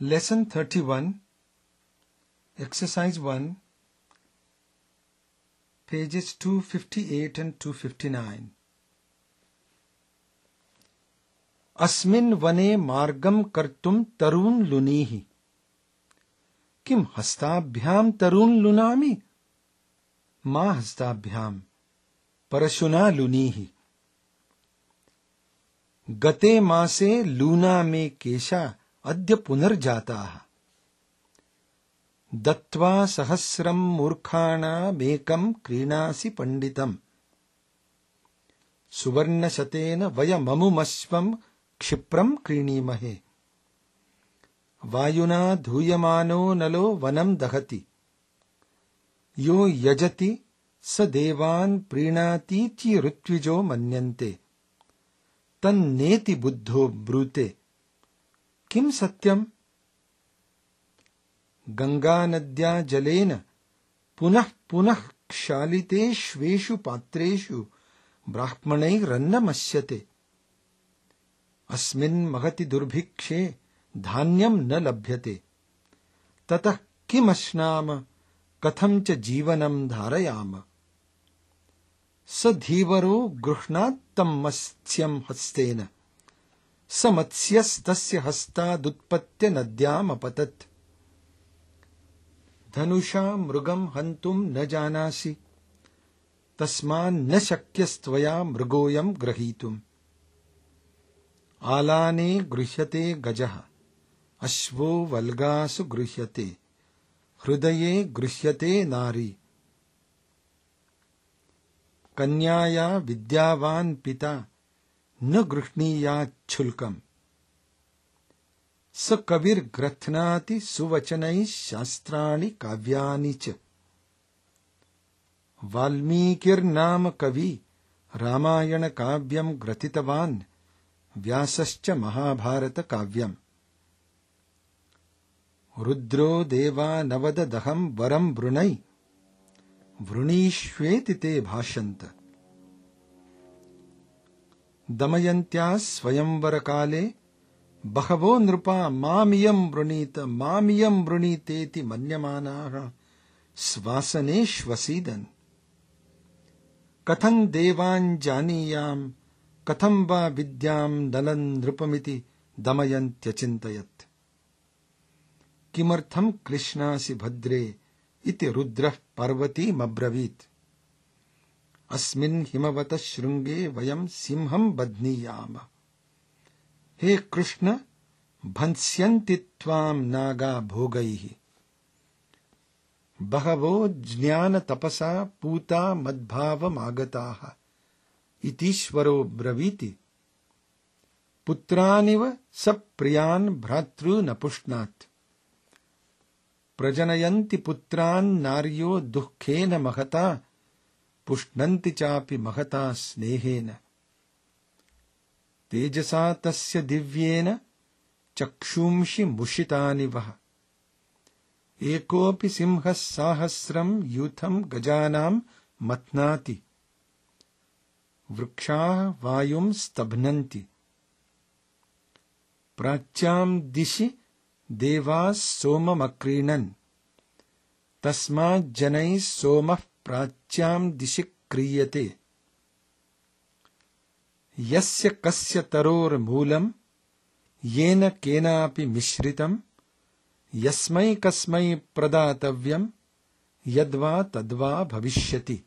Lesson 31, Exercise 1, pages 258 and 259. अस्मिन् वने मार्गं कर्तुं तरून् लुनीहि। किं हस्ताभ्यां तरून् लुनामि? मा हस्ताभ्यां परशुना लुनीहि। गते मासे लूना मे केशा अद्य पुनर्जाताः। दत्त्वा सहस्रं मूर्खाणामेकं क्रीणासि पण्डितम्। सुवर्णशतेन वयममुमश्वं क्षिप्रं क्रीणीमहे। वायुना धूयमानो नलो वनं दहति। यो यजति स देवान् प्रीणातीति ऋत्विजो मन्यन्ते। तन्नेति बुद्धो ब्रूते। किं सत्यम्? गंगानद्या जलेन पुनः पुनः क्षालितेष्वेषु पात्रेषु ब्राह्मणैरन्नमश्यते। अस्मिन् महति दुर्भिक्षे धान्यं न लभ्यते। ततः किमश्नाम कथं च जीवनं धारयाम। स धीवरो गृह्णात्तं मत्स्यं हस्तेन। स मत्स्यस्तस्य हस्तादुत्पत्य नद्यामपतत्। धनुषा मृगं हन्तुं न जानासि। तस्मान्न शक्यस्त्वया मृगोऽयं ग्रहीतुम्। आलाने गृह्यते गजः। अश्वो वल्गासु गृह्यते। हृदये गृह्यते नारी। कन्याया विद्यावान् पिता न गृह्णीयाच्छुल्कम्। स कविर्ग्रथ्नाति सुवचनैः शास्त्राणि काव्यानि च। वाल्मीकिर्नाम कवि रामायणकाव्यं ग्रथितवान्। व्यासश्च महाभारतकाव्यम्। रुद्रो देवानवददहं वरं वृणै। वृणीष्वेति ते भाषन्त। दमयन्त्याः स्वयंवरकाले बहवो नृपा मामियं वृणीतेति मन्यमानाः स्वासनेष्वसीदन्। कथं देवान् जानीयां कथं वा विद्यां नलं नृपमिति दमयन्त्यचिन्तयत्। किमर्थं क्लिश्नासि भद्रे इति रुद्रः पार्वतीमब्रवीत्। अस्मिन् हिमवतः शृङ्गे वयं सिंहं बध्नीयाम। हे कृष्ण भंस्यन्ति त्वां नागा भोगैः। बहवो ज्ञानतपसा पूता मद्भावमागताः। इतीश्वरो ब्रवीति। पुत्रानिव स प्रियान् भ्रातॄन् पुष्णात्। प्रजनयन्ति पुत्रान् नार्यो दुःखेन महता। पुष्णन्ति चापि महता स्नेहेन। तेजसा तस्य दिव्येन चक्षुंषि मुषितानि वः। एकोऽपि सिंहः साहस्रं यूथं गजानां मथ्नाति। वृक्षाः वायुं स्तभ्नन्ति। प्राच्यां दिशि देवाः सोममक्रीणन्। तस्माज्जनैः सोमः प्राच्यां दिशि क्रीयते। यस्य कस्य तरोर्मूलं येन केनापि मिश्रितं। यस्मै कस्मै प्रदातव्यं यद्वा तद्वा भविष्यति।